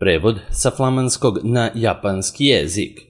Prevod sa flamanskog na japanski jezik.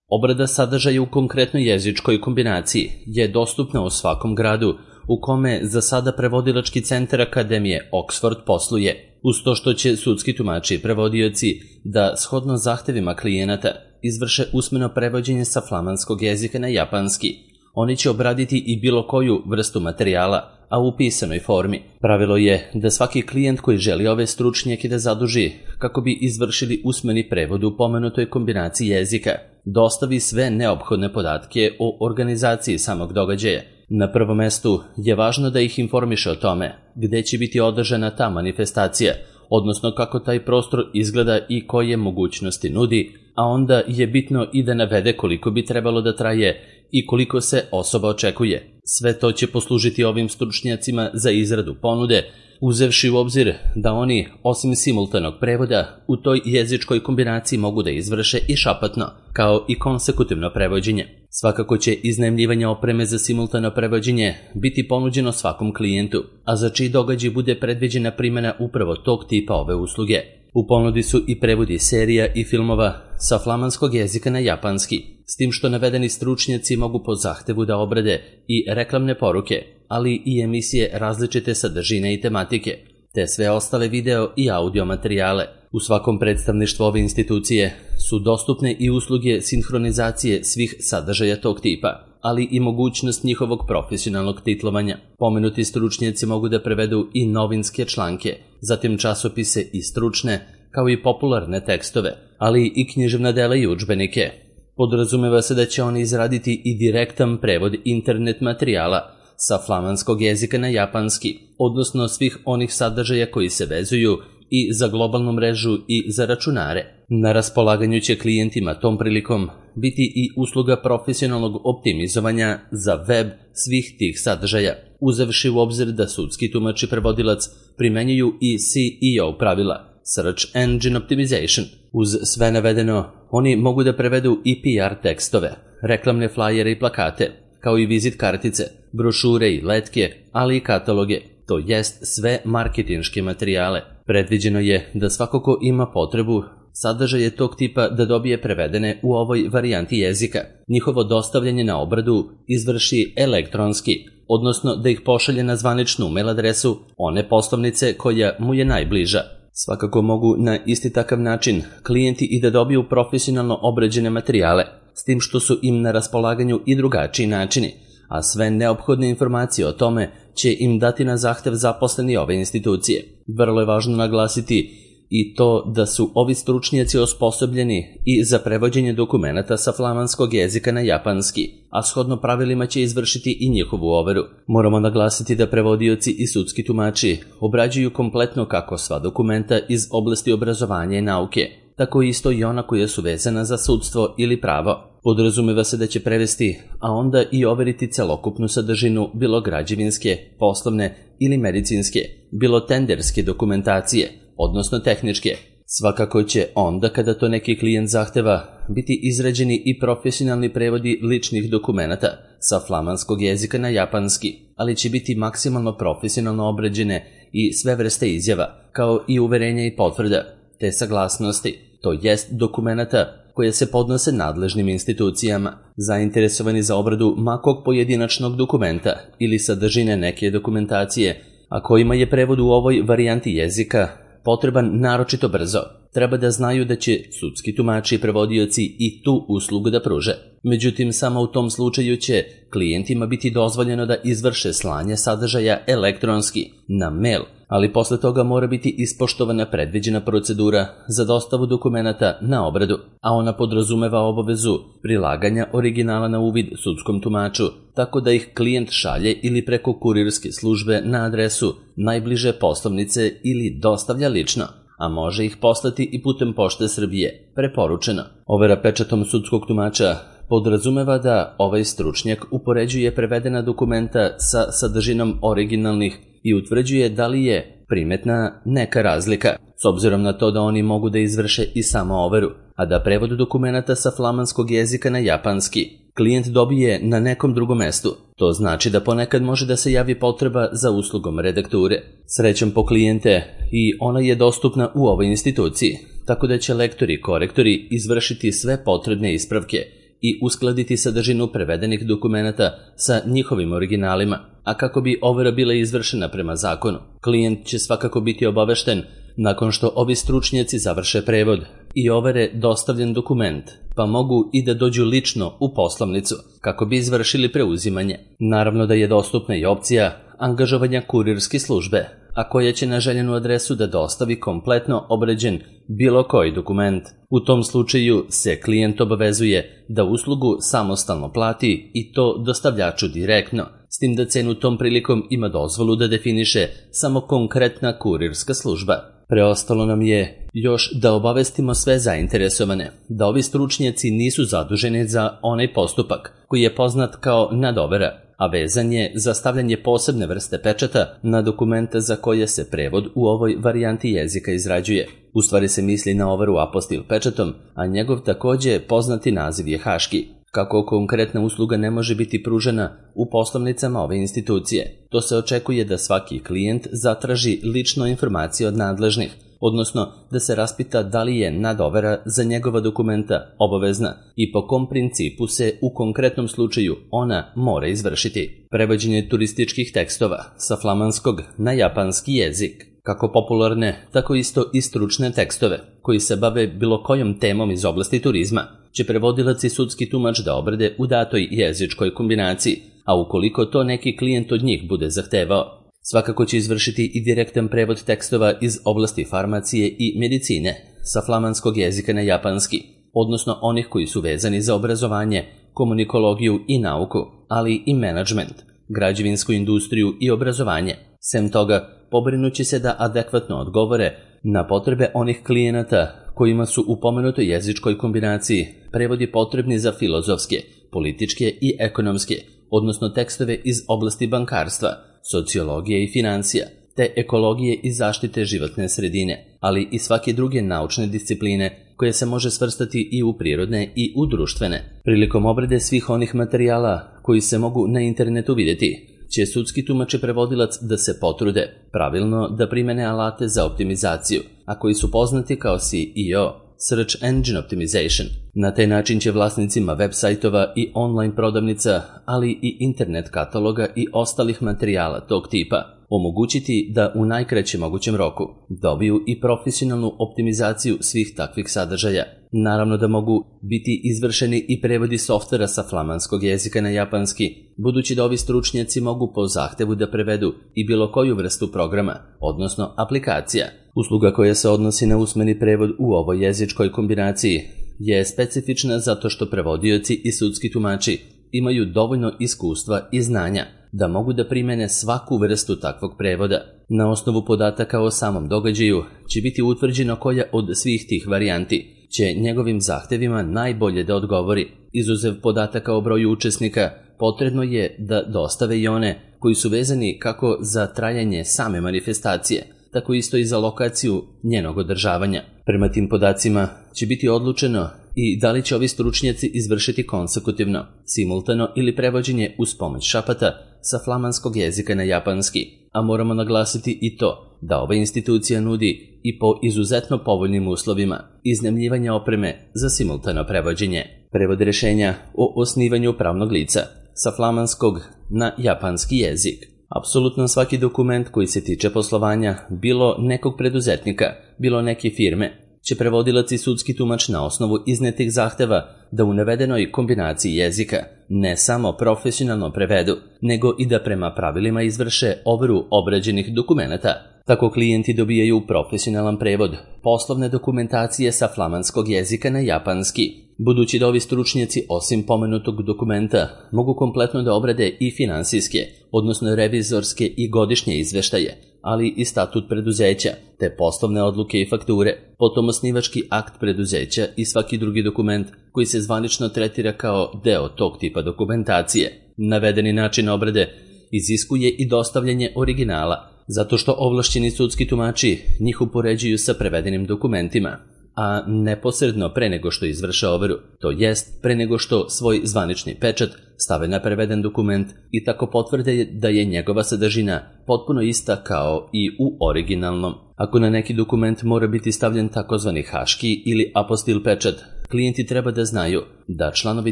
Obrada sadržaja u konkretnoj jezičkoj kombinaciji je dostupna u svakom gradu u kome za sada prevodilački centar Akademije Oxford posluje, uz to što će sudski tumači i prevodioci da, shodno zahtevima klijenata, izvrše usmeno prevođenje sa flamanskog jezika na japanski. Oni će obraditi i bilo koju vrstu materijala, a u pisanoj formi. Pravilo je da svaki klijent koji želi ove stručnjake da zaduži kako bi izvršili usmeni prevod u pomenutoj kombinaciji jezika, dostavi sve neophodne podatke o organizaciji samog događaja. Na prvom mestu je važno da ih informiše o tome gde će biti održana ta manifestacija, odnosno kako taj prostor izgleda i koje mogućnosti nudi, a onda je bitno i da navede koliko bi trebalo da traje i koliko se osoba očekuje. Sve to će poslužiti ovim stručnjacima za izradu ponude, uzevši u obzir da oni, osim simultanog prevoda, u toj jezičkoj kombinaciji mogu da izvrše i šapatno, kao i konsekutivno prevođenje. Svakako će iznajmljivanje opreme za simultano prevođenje biti ponuđeno svakom klijentu, a za čiji događaj bude predviđena primjena upravo tog tipa ove usluge. U ponudi su i prevodi serija i filmova sa flamanskog jezika na japanski, s tim što navedeni stručnjaci mogu po zahtevu da obrade i reklamne poruke, ali i emisije različite sadržine i tematike, te sve ostale video i audio materijale. U svakom predstavništvu ove institucije su dostupne i usluge sinhronizacije svih sadržaja tog tipa, ali i mogućnost njihovog profesionalnog titlovanja. Pomenuti stručnjaci mogu da prevedu i novinske članke, zatim časopise i stručne, kao i popularne tekstove, ali i književna dela i udžbenike. Podrazumeva se da će oni izraditi i direktan prevod internet materijala sa flamanskog jezika na japanski, odnosno svih onih sadržaja koji se vezuju i za globalnu mrežu i za računare. Na raspolaganju će klijentima tom prilikom biti i usluga profesionalnog optimizovanja za web svih tih sadržaja, uzevši u obzir da sudski tumač i prevodilac primenjuju i SEO pravila, Search Engine Optimization. Uz sve navedeno, oni mogu da prevedu i PR tekstove, reklamne flajere i plakate, kao i vizit kartice, brošure i letke, ali i kataloge, to jest sve marketinške materijale. Predviđeno je da svako ko ima potrebu sadržaje tog tipa da dobije prevedene u ovoj varijanti jezika. Njihovo dostavljanje na obradu izvrši elektronski, odnosno da ih pošalje na zvaničnu mail adresu one poslovnice koja mu je najbliža. Svakako mogu na isti takav način klijenti i da dobiju profesionalno obrađene materijale, s tim što su im na raspolaganju i drugačiji načini, a sve neophodne informacije o tome će im dati na zahtev zaposleni ove institucije. Vrlo je važno naglasiti i to da su ovi stručnjaci osposobljeni i za prevođenje dokumenata sa flamanskog jezika na japanski, a shodno pravilima će izvršiti i njihovu overu. Moramo naglasiti da prevodioci i sudski tumači obrađuju kompletno kako sva dokumenta iz oblasti obrazovanja i nauke, tako isto i ona koja su vezana za sudstvo ili pravo. Podrazumeva se da će prevesti, a onda i overiti celokupnu sadržinu bilo građevinske, poslovne ili medicinske, bilo tenderske dokumentacije, odnosno tehničke. Svakako će onda, kada to neki klijent zahteva, biti izrađeni i profesionalni prevodi ličnih dokumenata sa flamanskog jezika na japanski, ali će biti maksimalno profesionalno obrađene i sve vrste izjava, kao i uverenja i potvrda, te saglasnosti, to jest dokumenata koje se podnose nadležnim institucijama. Zainteresovani za obradu makog pojedinačnog dokumenta ili sadržine neke dokumentacije, a kojima je prevod u ovoj varijanti jezika potreban naročito brzo, treba da znaju da će sudski tumači i prevodioci i tu uslugu da pruže. Međutim, samo u tom slučaju će klijentima biti dozvoljeno da izvrše slanje sadržaja elektronski na mail, ali posle toga mora biti ispoštovana predviđena procedura za dostavu dokumenata na obradu, a ona podrazumeva obavezu prilaganja originala na uvid sudskom tumaču, tako da ih klijent šalje ili preko kurirske službe na adresu najbliže poslovnice ili dostavlja lično, a može ih poslati i putem Pošte Srbije, preporučeno. Overa pečatom sudskog tumača podrazumeva da ovaj stručnjak upoređuje prevedena dokumenta sa sadržinom originalnih i utvrđuje da li je primetna neka razlika, s obzirom na to da oni mogu da izvrše i samo overu, a da prevod dokumenata sa flamanskog jezika na japanski klijent dobije na nekom drugom mestu. To znači da ponekad može da se javi potreba za uslugom redakture. Srećom po klijente, i ona je dostupna u ovoj instituciji, tako da će lektori i korektori izvršiti sve potrebne ispravke i uskladiti sadržinu prevedenih dokumenata sa njihovim originalima, a kako bi overa bila izvršena prema zakonu, klijent će svakako biti obavešten nakon što ovi stručnjaci završe prevod i overe dostavljen dokument, pa mogu i da dođu lično u poslovnicu kako bi izvršili preuzimanje. Naravno da je dostupna i opcija angažovanja kurirske službe, a koja će na željenu adresu da dostavi kompletno obrađen bilo koji dokument. U tom slučaju se klijent obavezuje da uslugu samostalno plati i to dostavljaču direktno, s tim da cenu tom prilikom ima dozvolu da definiše samo konkretna kurirska služba. Preostalo nam je još da obavestimo sve zainteresovane da ovi stručnjaci nisu zaduženi za onaj postupak koji je poznat kao nadovera, a vezan je za stavljanje posebne vrste pečata na dokumenta za koje se prevod u ovoj varijanti jezika izrađuje. U stvari se misli na overu apostil pečatom, a njegov takođe poznati naziv je haški. Kako konkretna usluga ne može biti pružena u poslovnicama ove institucije, to se očekuje da svaki klijent zatraži lično informacije od nadležnih, odnosno da se raspita da li je nadovera za njegova dokumenta obavezna i po kom principu se u konkretnom slučaju ona mora izvršiti. Prevođenje turističkih tekstova sa flamanskog na japanski jezik, kako popularne, tako isto i stručne tekstove koji se bave bilo kojom temom iz oblasti turizma, će prevodilac i sudski tumač da obrade u datoj jezičkoj kombinaciji, a ukoliko to neki klijent od njih bude zahtevao. Svakako će izvršiti i direktan prevod tekstova iz oblasti farmacije i medicine sa flamanskog jezika na japanski, odnosno onih koji su vezani za obrazovanje, komunikologiju i nauku, ali i menadžment, građevinsku industriju i obrazovanje. Sem toga, pobrinuće se da adekvatno odgovore na potrebe onih klijenata kojima su u pomenutoj jezičkoj kombinaciji prevodi potrebni za filozofske, političke i ekonomske, odnosno tekstove iz oblasti bankarstva, sociologije i financija, te ekologije i zaštite životne sredine, ali i svake druge naučne discipline koje se može svrstati i u prirodne i u društvene. Prilikom obrade svih onih materijala koji se mogu na internetu vidjeti, će sudski tumač i prevodilac da se potrude pravilno da primene alate za optimizaciju, a koji su poznati kao SEO, Search Engine Optimization. Na taj način će vlasnicima web sajtova i online prodavnica, ali i internet kataloga i ostalih materijala tog tipa omogućiti da u najkraćem mogućem roku dobiju i profesionalnu optimizaciju svih takvih sadržaja. Naravno da mogu biti izvršeni i prevodi softvera sa flamanskog jezika na japanski, budući da ovi stručnjaci mogu po zahtevu da prevedu i bilo koju vrstu programa, odnosno aplikacija. Usluga koja se odnosi na usmeni prevod u ovoj jezičkoj kombinaciji je specifična zato što prevodioci i sudski tumači imaju dovoljno iskustva i znanja da mogu da primene svaku vrstu takvog prevoda. Na osnovu podataka o samom događaju će biti utvrđeno koja od svih tih varijanti će njegovim zahtevima najbolje da odgovori. Izuzev podataka o broju učesnika, potrebno je da dostave i one koji su vezani kako za trajanje same manifestacije, tako isto i za lokaciju njenog održavanja. Prema tim podacima će biti odlučeno i da li će ovi stručnjaci izvršiti konsekutivno, simultano ili prevođenje uz pomoć šapata sa flamanskog jezika na japanski, a moramo naglasiti i to da ova institucija nudi i po izuzetno povoljnim uslovima iznajmljivanja opreme za simultano prevođenje. Prevod rešenja o osnivanju pravnog lica sa flamanskog na japanski jezik. Apsolutno svaki dokument koji se tiče poslovanja, bilo nekog preduzetnika, bilo neke firme, će prevodilac i sudski tumač na osnovu iznetih zahteva da u navedenoj kombinaciji jezika ne samo profesionalno prevedu, nego i da prema pravilima izvrše overu obrađenih dokumenata. Tako klijenti dobijaju profesionalan prevod poslovne dokumentacije sa flamanskog jezika na japanski, budući da ovi stručnjaci osim pomenutog dokumenta mogu kompletno da obrade i finansijske, odnosno revizorske i godišnje izveštaje, ali i statut preduzeća, te poslovne odluke i fakture, potom osnivački akt preduzeća i svaki drugi dokument koji se zvanično tretira kao deo tog tipa dokumentacije. Navedeni način obrade iziskuje i dostavljanje originala, zato što ovlašćeni sudski tumači njih upoređuju sa prevedenim dokumentima a neposredno pre nego što izvrše overu, to jest pre nego što svoj zvanični pečat stave na preveden dokument i tako potvrde da je njegova sadržina potpuno ista kao i u originalnom. Ako na neki dokument mora biti stavljen takozvani haški ili apostil pečat, klijenti treba da znaju da članovi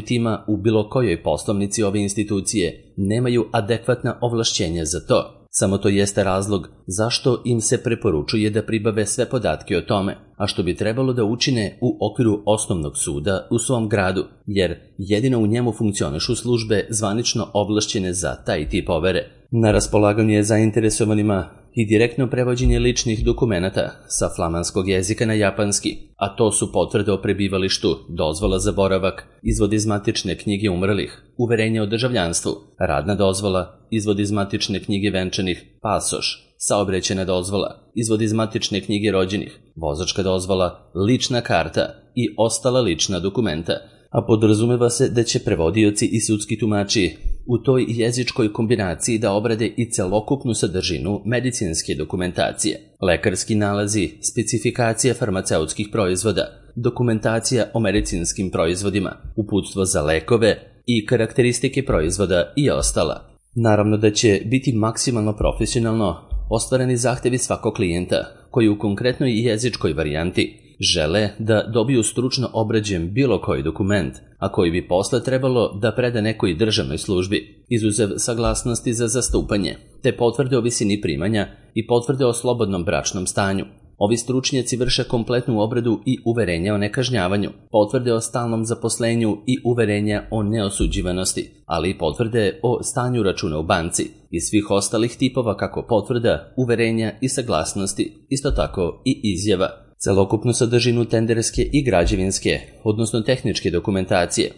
tima u bilo kojoj poslovnici ove institucije nemaju adekvatna ovlašćenja za to. Samo to jeste razlog zašto im se preporučuje da pribave sve podatke o tome, a što bi trebalo da učine u okviru osnovnog suda u svom gradu, jer jedino u njemu funkcionišu službe zvanično ovlašćene za taj tip overe. Na raspolaganju je zainteresovanima i direktno prevođenje ličnih dokumenata sa flamanskog jezika na japanski, a to su potvrde o prebivalištu, dozvola za boravak, izvod iz matične knjige umrlih, uverenje o državljanstvu, radna dozvola, izvod iz matične knjige venčanih, pasoš, saobraćajna dozvola, izvod iz matične knjige rođenih, vozačka dozvola, lična karta i ostala lična dokumenta, a podrazumeva se da će prevodioci i sudski tumači u toj jezičkoj kombinaciji da obrade i celokupnu sadržinu medicinske dokumentacije, lekarski nalazi, specifikacija farmaceutskih proizvoda, dokumentacija o medicinskim proizvodima, uputstvo za lekove i karakteristike proizvoda i ostala. Naravno da će biti maksimalno profesionalno ostvareni zahtevi svakog klijenta koji u konkretnoj jezičkoj varijanti žele da dobiju stručno obrađen bilo koji dokument, a koji bi posle trebalo da preda nekoj državnoj službi, izuzev saglasnosti za zastupanje, te potvrde o visini primanja i potvrde o slobodnom bračnom stanju. Ovi stručnjaci vrše kompletnu obradu i uverenja o nekažnjavanju, potvrde o stalnom zaposlenju i uverenja o neosuđivanosti, ali i potvrde o stanju računa u banci i svih ostalih tipova kako potvrda, uverenja i saglasnosti, isto tako i izjava. Celokupnu sadržinu tenderske i građevinske, odnosno tehničke dokumentacije,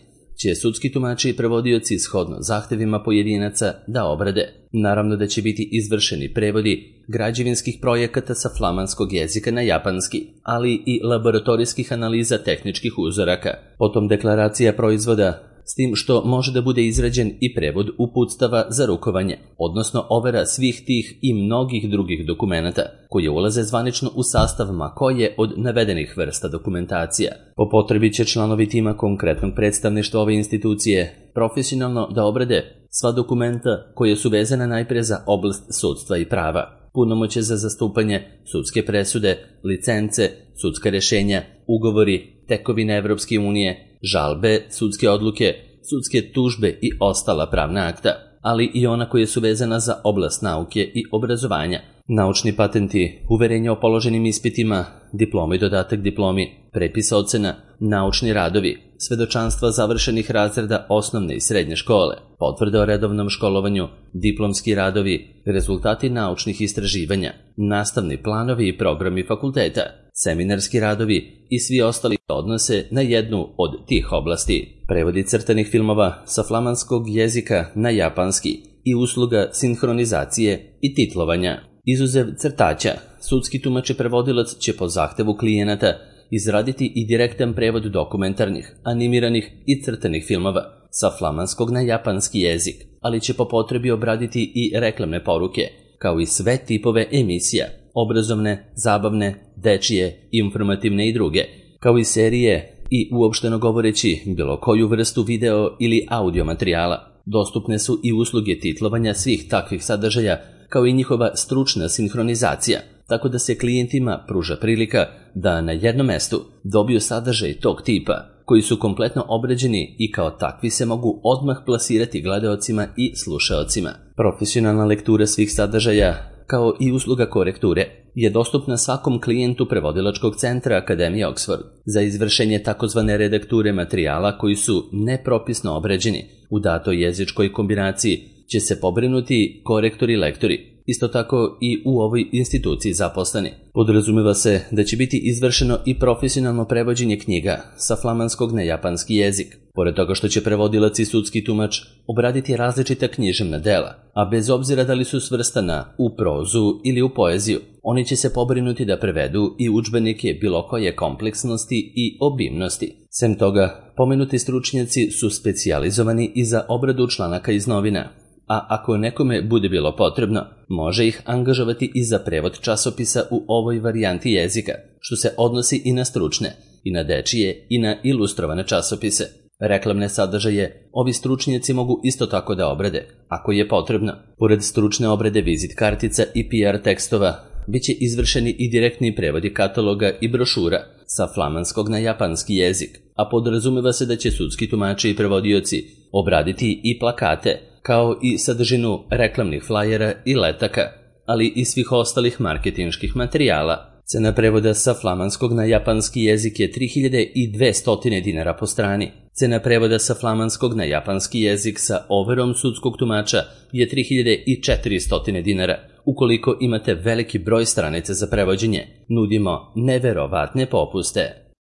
će sudski tumači i prevodioci shodno zahtevima pojedinaca da obrade. Naravno da će biti izvršeni prevodi građevinskih projekata sa flamanskog jezika na japanski, ali i laboratorijskih analiza tehničkih uzoraka, potom deklaracija proizvoda, s tim što može da bude izrađen i prevod uputstava za rukovanje, odnosno overa svih tih i mnogih drugih dokumenata, koje ulaze zvanično u sastav ma koje od navedenih vrsta dokumentacija. Po potrebi će članovi tima konkretnog predstavništva ove institucije profesionalno da obrade sva dokumenta koje su vezana najpre za oblast sudstva i prava, punomoćje za zastupanje, sudske presude, licence, sudska rešenja, ugovori, tekovine Evropske unije, žalbe, sudske odluke, sudske tužbe i ostala pravna akta, ali i ona koje su vezana za oblast nauke i obrazovanja, naučni patenti, uverenja o položenim ispitima, diploma i dodatak diplomi, prepis ocena, naučni radovi, svedočanstva završenih razreda osnovne i srednje škole, potvrde o redovnom školovanju, diplomski radovi, rezultati naučnih istraživanja, nastavni planovi i programi fakulteta, seminarski radovi i svi ostali odnose na jednu od tih oblasti. Prevodi crtanih filmova sa flamanskog jezika na japanski i usluga sinhronizacije i titlovanja. Izuzev crtaća, sudski tumač i prevodilac će po zahtevu klijenata izraditi i direktan prevod dokumentarnih, animiranih i crtanih filmova sa flamanskog na japanski jezik, ali će po potrebi obraditi i reklamne poruke, kao i sve tipove emisija, obrazovne, zabavne, dečije, informativne i druge, kao i serije i uopšteno govoreći bilo koju vrstu video ili audio materijala. Dostupne su i usluge titlovanja svih takvih sadržaja, kao i njihova stručna sinhronizacija, tako da se klijentima pruža prilika da na jednom mestu dobiju sadržaj tog tipa, koji su kompletno obrađeni i kao takvi se mogu odmah plasirati gledaocima i slušaocima. Profesionalna lektura svih sadržaja, kao i usluga korekture, je dostupna svakom klijentu prevodilačkog centra Akademije Oxford. Za izvršenje takozvane redakture materijala koji su nepropisno obrađeni u datoj jezičkoj kombinaciji će se pobrinuti korektori i lektori, isto tako i u ovoj instituciji zaposleni. Podrazumeva se da će biti izvršeno i profesionalno prevođenje knjiga sa flamanskog na japanski jezik. Pored toga što će prevodilac i sudski tumač obraditi različita književna dela, a bez obzira da li su svrstana u prozu ili u poeziju, oni će se pobrinuti da prevedu i udžbenike bilo koje kompleksnosti i obimnosti. Sem toga, pomenuti stručnjaci su specijalizovani i za obradu članaka iz novina a ako nekome bude bilo potrebno, može ih angažovati i za prevod časopisa u ovoj varijanti jezika, što se odnosi i na stručne, i na dečije, i na ilustrovane časopise. Reklamne sadržaje ovi stručnjaci mogu isto tako da obrade, ako je potrebno. Pored stručne obrade vizit kartica i PR tekstova, biće izvršeni i direktni prevodi kataloga i brošura sa flamanskog na japanski jezik, a podrazumeva se da će sudski tumači i prevodioci obraditi i plakate, kao i sadržinu reklamnih flajera i letaka, ali i svih ostalih marketinških materijala. Cena prevoda sa flamanskog na japanski jezik je 3200 dinara po strani. Cena prevoda sa flamanskog na japanski jezik sa overom sudskog tumača je 3400 dinara. Ukoliko imate veliki broj stranica za prevođenje, nudimo neverovatne popuste.